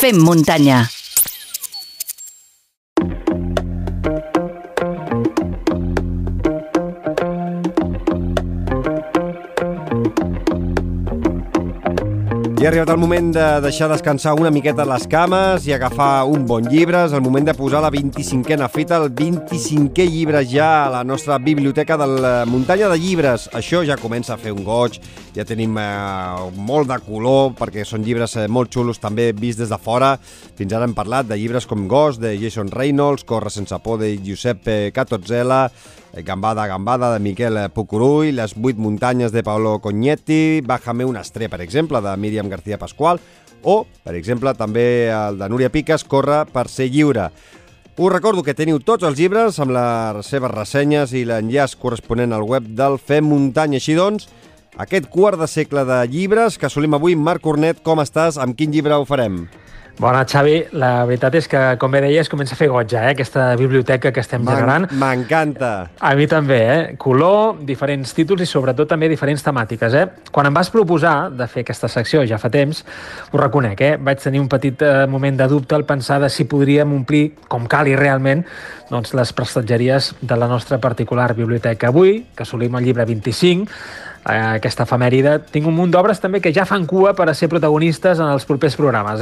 Fem muntanya. Ja ha arribat el moment de deixar descansar una miqueta les cames i agafar un bon llibre. És el moment de posar la 25a fita, el 25è llibre ja a la nostra biblioteca de la muntanya de llibres. Això ja comença a fer un goig, ja tenim molt de color, perquè són llibres molt xulos també vist des de fora. Fins ara hem parlat de llibres com Ghost, de Jason Reynolds, Corre sense por, de Giuseppe Catozzella, Gambada, Gambada, de Miquel Pucurull, Les 8 muntanyes, de Paolo Cognetti, Bájame una estrella, per exemple, de Míriam García Pascual, o, per exemple, també el de Núria Piques, Corre per ser lliure. Us recordo que teniu tots els llibres amb les seves ressenyes i l'enllaç corresponent al web del Fem Muntanya. Així doncs, aquest quart de segle de llibres que assolim avui. Marc Cornet, com estàs? Amb quin llibre ho farem? Bona, Xavi. La veritat és que, com bé deies, comença a fer goig, aquesta biblioteca que estem generant. M'encanta. A mi també, Color, diferents títols i sobretot també diferents temàtiques, Quan em vas proposar de fer aquesta secció ja fa temps, ho reconec, Vaig tenir un petit moment de dubte al pensar de si podríem omplir, com cal i realment, doncs, les prestatgeries de la nostra particular biblioteca. Avui, que assolim el llibre 25, aquesta efemèride, tinc un munt d'obres també que ja fan cua per a ser protagonistes en els propers programes,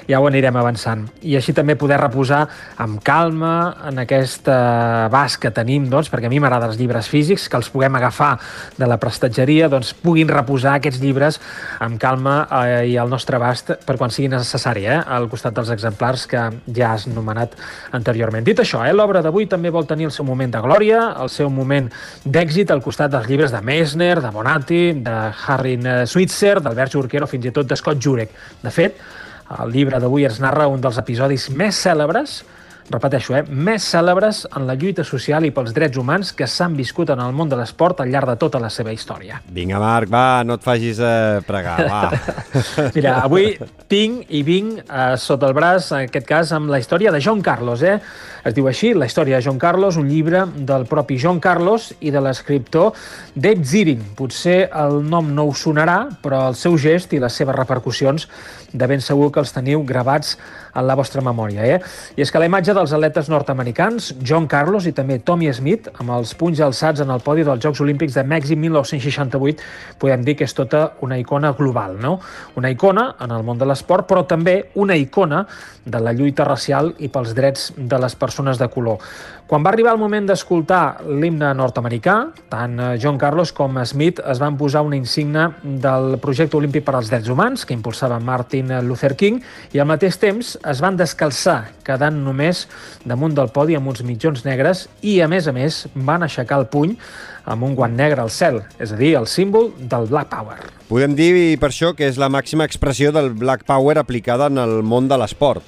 Ja ho anirem avançant. I així també poder reposar amb calma en aquest abast que tenim, doncs, perquè a mi m'agraden els llibres físics, que els puguem agafar de la prestatgeria, doncs puguin reposar aquests llibres amb calma i al nostre abast per quan sigui necessari, al costat dels exemplars que ja has nomenat anteriorment. Dit això, l'obra d'avui també vol tenir el seu moment de glòria, el seu moment d'èxit al costat dels llibres de Messner, de Bonatti, de Harry Switzer, d'Albert Jorquero, fins i tot de Scott Jurek. De fet, el llibre d'avui ens narra un dels episodis més cèlebres, repeteixo, més cèlebres en la lluita social i pels drets humans que s'han viscut en el món de l'esport al llarg de tota la seva història. Vinga, Marc, va, no et facis pregar, va. Mira, avui tinc i vinc sota el braç, en aquest cas, amb la història de John Carlos, Es diu així, la història de John Carlos, un llibre del propi John Carlos i de l'escriptor Dave Zirin. Potser el nom no us sonarà, però el seu gest i les seves repercussions de ben segur que els teniu gravats en la vostra memòria, I és que la imatge dels atletes nord-americans, John Carlos i també Tommy Smith, amb els punys alçats en el podi dels Jocs Olímpics de Mèxic 1968, podem dir que és tota una icona global, no? Una icona en el món de l'esport, però també una icona de la lluita racial i pels drets de les persones de color. Quan va arribar el moment d'escoltar l'himne nord-americà, tant John Carlos com Smith es van posar una insígnia del projecte olímpic per als drets humans, que impulsava Martin Luther King, i al mateix temps es van descalçar, quedant només damunt del podi amb uns mitjons negres i, a més, van aixecar el puny amb un guant negre al cel, és a dir, el símbol del Black Power. Podem dir per això que és la màxima expressió del Black Power aplicada en el món de l'esport.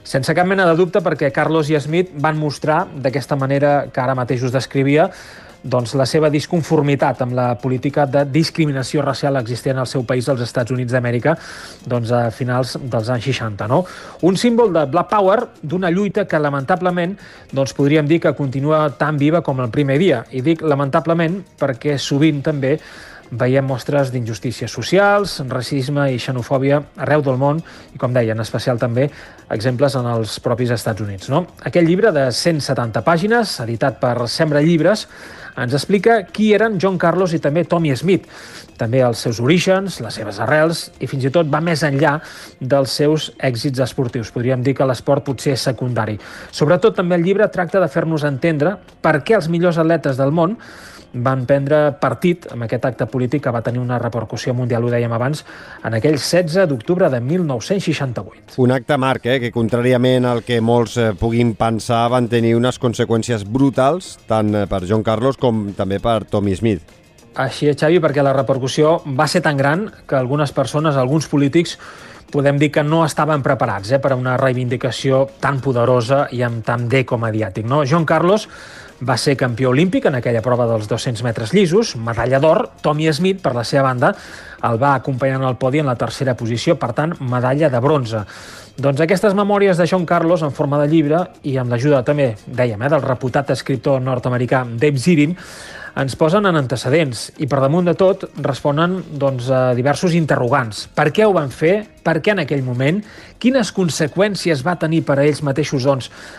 Sense cap mena de dubte, perquè Carlos i Smith van mostrar, d'aquesta manera que ara mateix us descrivia, doncs la seva disconformitat amb la política de discriminació racial existent al seu país, als Estats Units d'Amèrica, doncs a finals dels anys 60, no? Un símbol de Black Power, d'una lluita que lamentablement doncs podríem dir que continua tan viva com el primer dia. I dic lamentablement perquè sovint també veiem mostres d'injustícies socials, racisme i xenofòbia arreu del món i, com deia, en especial també exemples en els propis Estats Units, no? Aquell llibre de 170 pàgines, editat per Sembra Llibres, ens explica qui eren John Carlos i també Tommy Smith, també els seus orígens, les seves arrels i fins i tot va més enllà dels seus èxits esportius. Podríem dir que l'esport potser és secundari. Sobretot també el llibre tracta de fer-nos entendre per què els millors atletes del món van prendre partit amb aquest acte polític que va tenir una repercussió mundial, ho dèiem abans, en aquell 16 d'octubre de 1968. Un acte, Marc, que contràriament al que molts puguin pensar, van tenir unes conseqüències brutals, tant per John Carlos com també per Tommy Smith. Així és, Xavi, perquè la repercussió va ser tan gran que algunes persones, alguns polítics, podem dir que no estaven preparats per a una reivindicació tan poderosa i amb tant d'eco mediàtic, no? John Carlos va ser campió olímpic en aquella prova dels 200 metres llisos, medalla d'or. Tommy Smith, per la seva banda, el va acompanyar al podi en la tercera posició, per tant, medalla de bronze. Doncs aquestes memòries de John Carlos en forma de llibre i amb l'ajuda també, dèiem, del reputat escriptor nord-americà Dave Zirin, ens posen en antecedents i per damunt de tot responen a diversos interrogants. Per què ho van fer? Per què en aquell moment? Quines conseqüències va tenir per a ells mateixos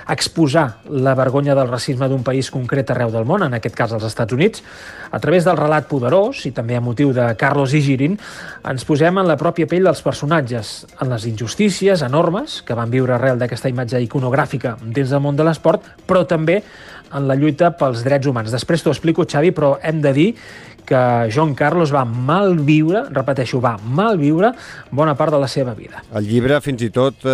exposar la vergonya del racisme d'un país concret arreu del món, en aquest cas als Estats Units? A través del relat poderós, i també a motiu de Carlos i Girin, ens posem en la pròpia pell dels personatges, en les injustícies enormes que van viure arrel d'aquesta imatge iconogràfica dins del món de l'esport, però també en la lluita pels drets humans. Després t'ho explico, Xavi, però hem de dir que John Carlos va malviure, repeteixo, va malviure bona part de la seva vida. El llibre, fins i tot,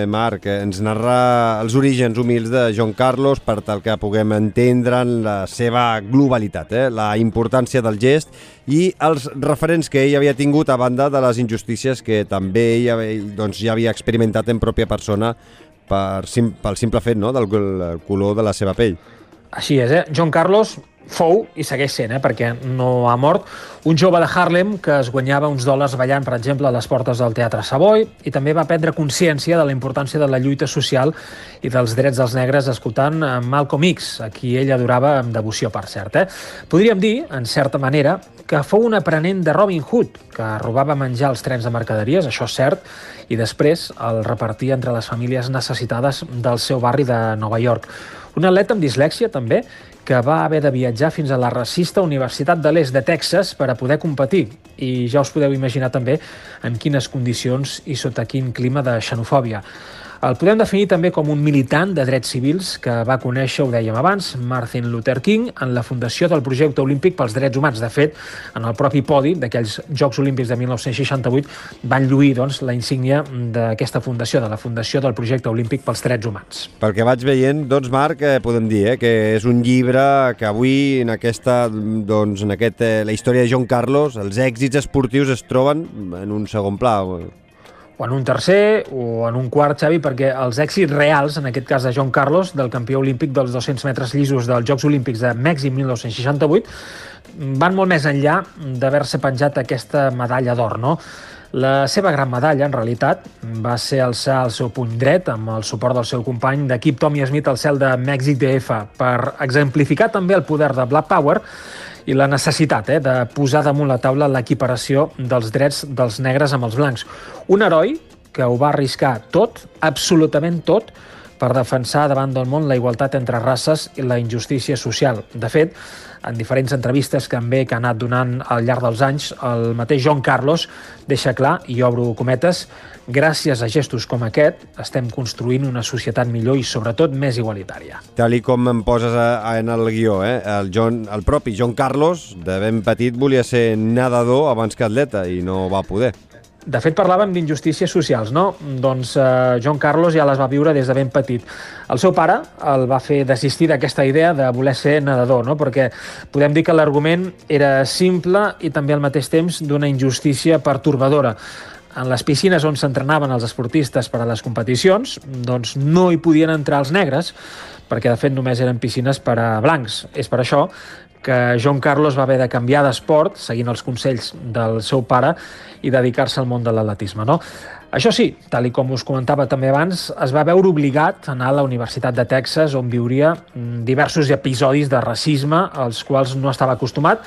Marc, ens narra els orígens humils de John Carlos per tal que puguem entendre la seva globalitat, la importància del gest i els referents que ell havia tingut a banda de les injustícies que també ell ja havia experimentat en pròpia persona pel simple fet del color de la seva pell. Així és, John Carlos fou, i segueix sent, perquè no ha mort, un jove de Harlem que es guanyava uns dòlars ballant, per exemple, a les portes del Teatre Savoy, i també va prendre consciència de la importància de la lluita social i dels drets dels negres escoltant Malcolm X, a qui ell adorava amb devoció, per cert. Podríem dir, en certa manera, que fou un aprenent de Robin Hood, que robava menjar als trens de mercaderies, això és cert, i després el repartia entre les famílies necessitades del seu barri de Nova York. Un atleta amb dislèxia, també, que va haver de viatjar fins a la racista Universitat de l'Est de Texas per a poder competir. I ja us podeu imaginar també en quines condicions i sota quin clima de xenofòbia. El podem definir també com un militant de drets civils que va conèixer, ho dèiem abans, Martin Luther King en la fundació del projecte olímpic pels drets humans. De fet, en el propi podi d'aquells Jocs Olímpics de 1968 van lluir la insígnia d'aquesta fundació, de la fundació del projecte olímpic pels drets humans. Pel que vaig veient, Marc, podem dir que és un llibre que avui en la història de John Carlos, els èxits esportius es troben en un segon pla. O en un tercer o en un quart, Xavi, perquè els èxits reals, en aquest cas de John Carlos, del campió olímpic dels 200 metres llisos dels Jocs Olímpics de Mèxic 1968, van molt més enllà d'haver-se penjat aquesta medalla d'or, no? La seva gran medalla, en realitat, va ser alçar el seu puny dret amb el suport del seu company d'equip Tommy Smith al cel de Mèxic DF per exemplificar també el poder de Black Power i la necessitat de posar damunt la taula l'equiparació dels drets dels negres amb els blancs. Un heroi que ho va arriscar tot, absolutament tot, per defensar davant del món la igualtat entre races i la injustícia social. De fet, en diferents entrevistes que ha anat donant al llarg dels anys, el mateix John Carlos deixa clar, i obro cometes, gràcies a gestos com aquest estem construint una societat millor i sobretot més igualitària. Tal com em poses en el guió, el propi John Carlos, de ben petit, volia ser nedador abans que atleta i no va poder. De fet, parlàvem d'injustícies socials, no? Doncs John Carlos ja les va viure des de ben petit. El seu pare el va fer desistir d'aquesta idea de voler ser nedador, no? Perquè podem dir que l'argument era simple i també al mateix temps d'una injustícia pertorbadora. En les piscines on s'entrenaven els esportistes per a les competicions, doncs no hi podien entrar els negres, perquè de fet només eren piscines per a blancs. És per això que John Carlos va haver de canviar d'esport, seguint els consells del seu pare, i dedicar-se al món de l'atletisme, no? Això sí, tal com us comentava també abans, es va veure obligat a anar a la Universitat de Texas, on viuria diversos episodis de racisme als quals no estava acostumat,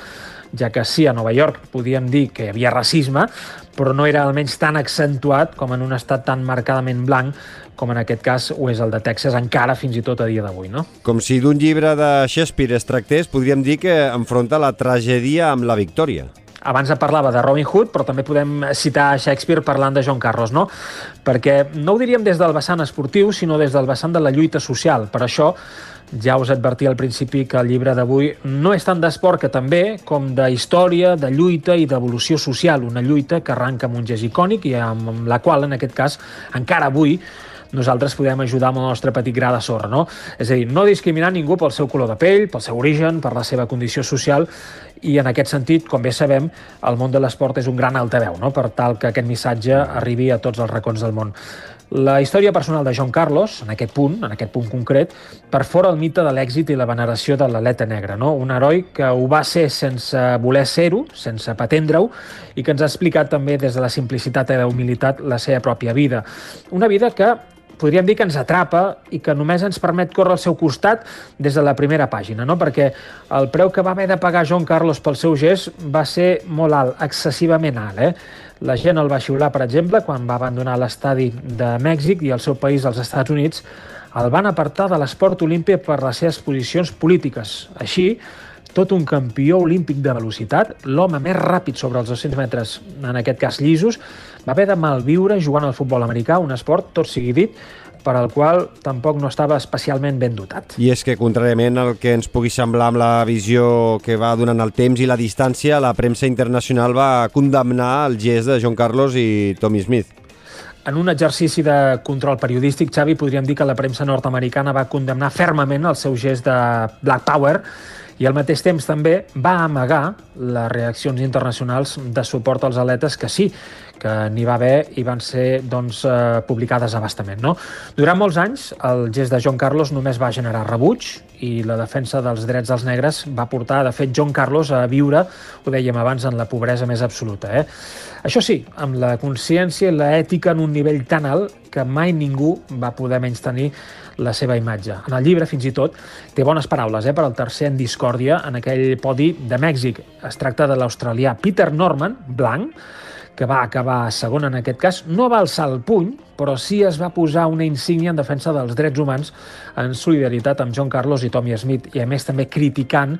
ja que sí, a Nova York podíem dir que hi havia racisme, però no era almenys tan accentuat com en un estat tan marcadament blanc com en aquest cas ho és el de Texas, encara fins i tot a dia d'avui, no? Com si d'un llibre de Shakespeare es tractés, podríem dir que enfronta la tragèdia amb la victòria. Abans parlava de Robin Hood, però també podem citar Shakespeare parlant de John Carlos, no? Perquè no ho diríem des del vessant esportiu, sinó des del vessant de la lluita social. Per això, ja us advertia al principi que el llibre d'avui no és tant d'esport que també, com de història, de lluita i d'evolució social. Una lluita que arranca amb un gest icònic i amb la qual, en aquest cas, encara avui, nosaltres podem ajudar amb el nostre petit gra de sorra, no? És a dir, no discriminar ningú pel seu color de pell, pel seu origen, per la seva condició social, i en aquest sentit, com bé sabem, el món de l'esport és un gran altaveu, no?, per tal que aquest missatge arribi a tots els racons del món. La història personal de John Carlos, en aquest punt concret, perfora el mite de l'èxit i la veneració de l'atleta negre, no? Un heroi que ho va ser sense voler ser-ho, sense pretendre-ho, i que ens ha explicat també des de la simplicitat i la humilitat la seva pròpia vida. Una vida que podríem dir que ens atrapa i que només ens permet córrer al seu costat des de la primera pàgina, no? Perquè el preu que va haver de pagar Joan Carlos pel seu gest va ser molt alt, excessivament alt. La gent el va xiular, per exemple, quan va abandonar l'estadi de Mèxic i el seu país, als Estats Units, el van apartar de l'esport olímpic per les seves posicions polítiques. Així, tot un campió olímpic de velocitat, l'home més ràpid sobre els 200 metres, en aquest cas llisos, va haver de malviure jugant al futbol americà, un esport, tot sigui dit, per al qual tampoc no estava especialment ben dotat. I és que, contràriament al que ens pugui semblar amb la visió que va donant el temps i la distància, la premsa internacional va condemnar el gest de Joan Carlos i Tommie Smith. En un exercici de control periodístic, Xavi, podríem dir que la premsa nord-americana va condemnar fermament el seu gest de Black Power i al mateix temps també va amagar les reaccions internacionals de suport als atletes que sí, que n'hi va haver i van ser publicades a bastament. No? Durant molts anys, el gest de Joan Carlos només va generar rebuig i la defensa dels drets dels negres va portar, de fet, Joan Carlos a viure, ho dèiem abans, en la pobresa més absoluta. Això sí, amb la consciència i l'ètica en un nivell tan alt que mai ningú va poder menystenir la seva imatge. En el llibre, fins i tot, té bones paraules per al tercer en discòrdia en aquell podi de Mèxic. Es tracta de l'australià Peter Norman, blanc, que va acabar segon en aquest cas. No va alçar el puny, però sí es va posar una insígnia en defensa dels drets humans en solidaritat amb Joan Carlos i Tommie Smith, i a més també criticant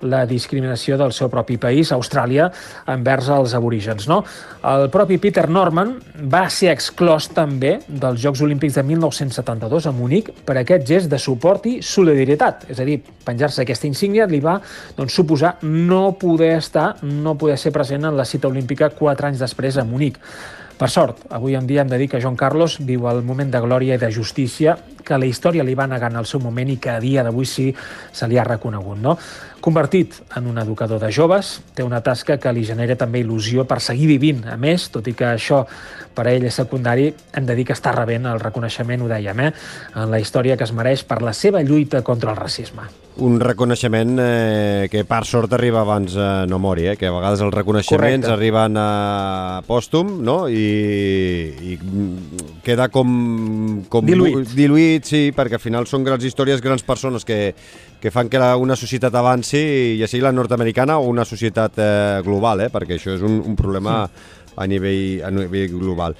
la discriminació del seu propi país, Austràlia, envers els aborígens. No? El propi Peter Norman va ser exclòs també dels Jocs Olímpics de 1972 a Munic per aquest gest de suport i solidaritat. És a dir, penjar-se aquesta insígnia li va suposar no poder ser present en la cita olímpica 4 anys després a Munic. Per sort, avui en dia hem de dir que Joan Carlos viu el moment de glòria i de justícia que la història li va negar en el seu moment i que a dia d'avui sí se li ha reconegut. No? Convertit en un educador de joves, té una tasca que li genera també il·lusió per seguir vivint. A més, tot i que això per a ell és secundari, hem de dir que està rebent el reconeixement, ho dèiem, en la història que es mereix per la seva lluita contra el racisme. Un reconeixement que per sort arriba abans no mori, que a vegades els reconeixements arriben a pòstum, no? I queda com diluït, sí, perquè al final són grans històries, grans persones que fan que una societat avanci, ja sigui la nord-americana o una societat global, perquè això és un problema a nivell global.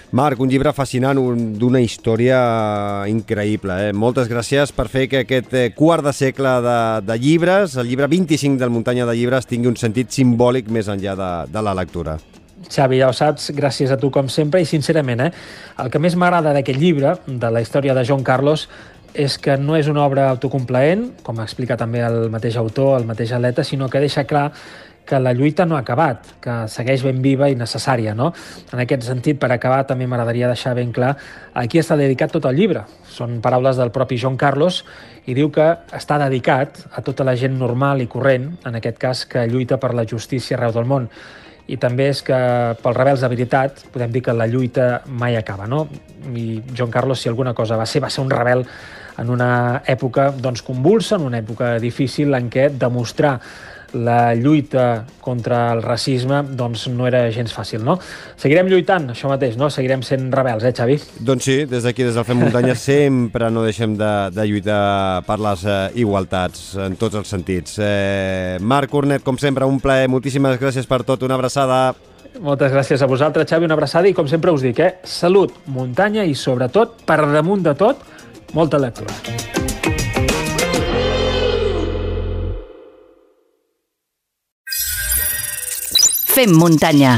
Marc, un llibre fascinant, d'una història increïble. Moltes gràcies per fer que aquest quart de segle de llibres, el llibre 25 del Muntanya de Llibres, tingui un sentit simbòlic més enllà de la lectura. Xavi, ja ho saps, gràcies a tu com sempre, i sincerament, el que més m'agrada d'aquest llibre, de la història de Joan Carlos, és que no és una obra autocomplaent, com explica també el mateix autor, el mateix atleta, sinó que deixa clar que la lluita no ha acabat, que segueix ben viva i necessària. No? En aquest sentit, per acabar, també m'agradaria deixar ben clar a qui està dedicat tot el llibre. Són paraules del propi Joan Carlos i diu que està dedicat a tota la gent normal i corrent, en aquest cas, que lluita per la justícia arreu del món. I també és que pels rebels de veritat podem dir que la lluita mai acaba. No? I Joan Carlos, si alguna cosa va ser un rebel en una època convulsa, en una època difícil en què demostrar la lluita contra el racisme no era gens fàcil, no? Seguirem lluitant, això mateix, no? Seguirem sent rebels, Xavi? Doncs sí, des d'aquí, des del Fem Muntanya, sempre no deixem de lluitar per les igualtats en tots els sentits. Marc Cornet, com sempre, un plaer. Moltíssimes gràcies per tot. Una abraçada. Moltes gràcies a vosaltres, Xavi. Una abraçada i, com sempre us dic, salut, muntanya i, sobretot, per damunt de tot, molta lectura. Fem muntanya.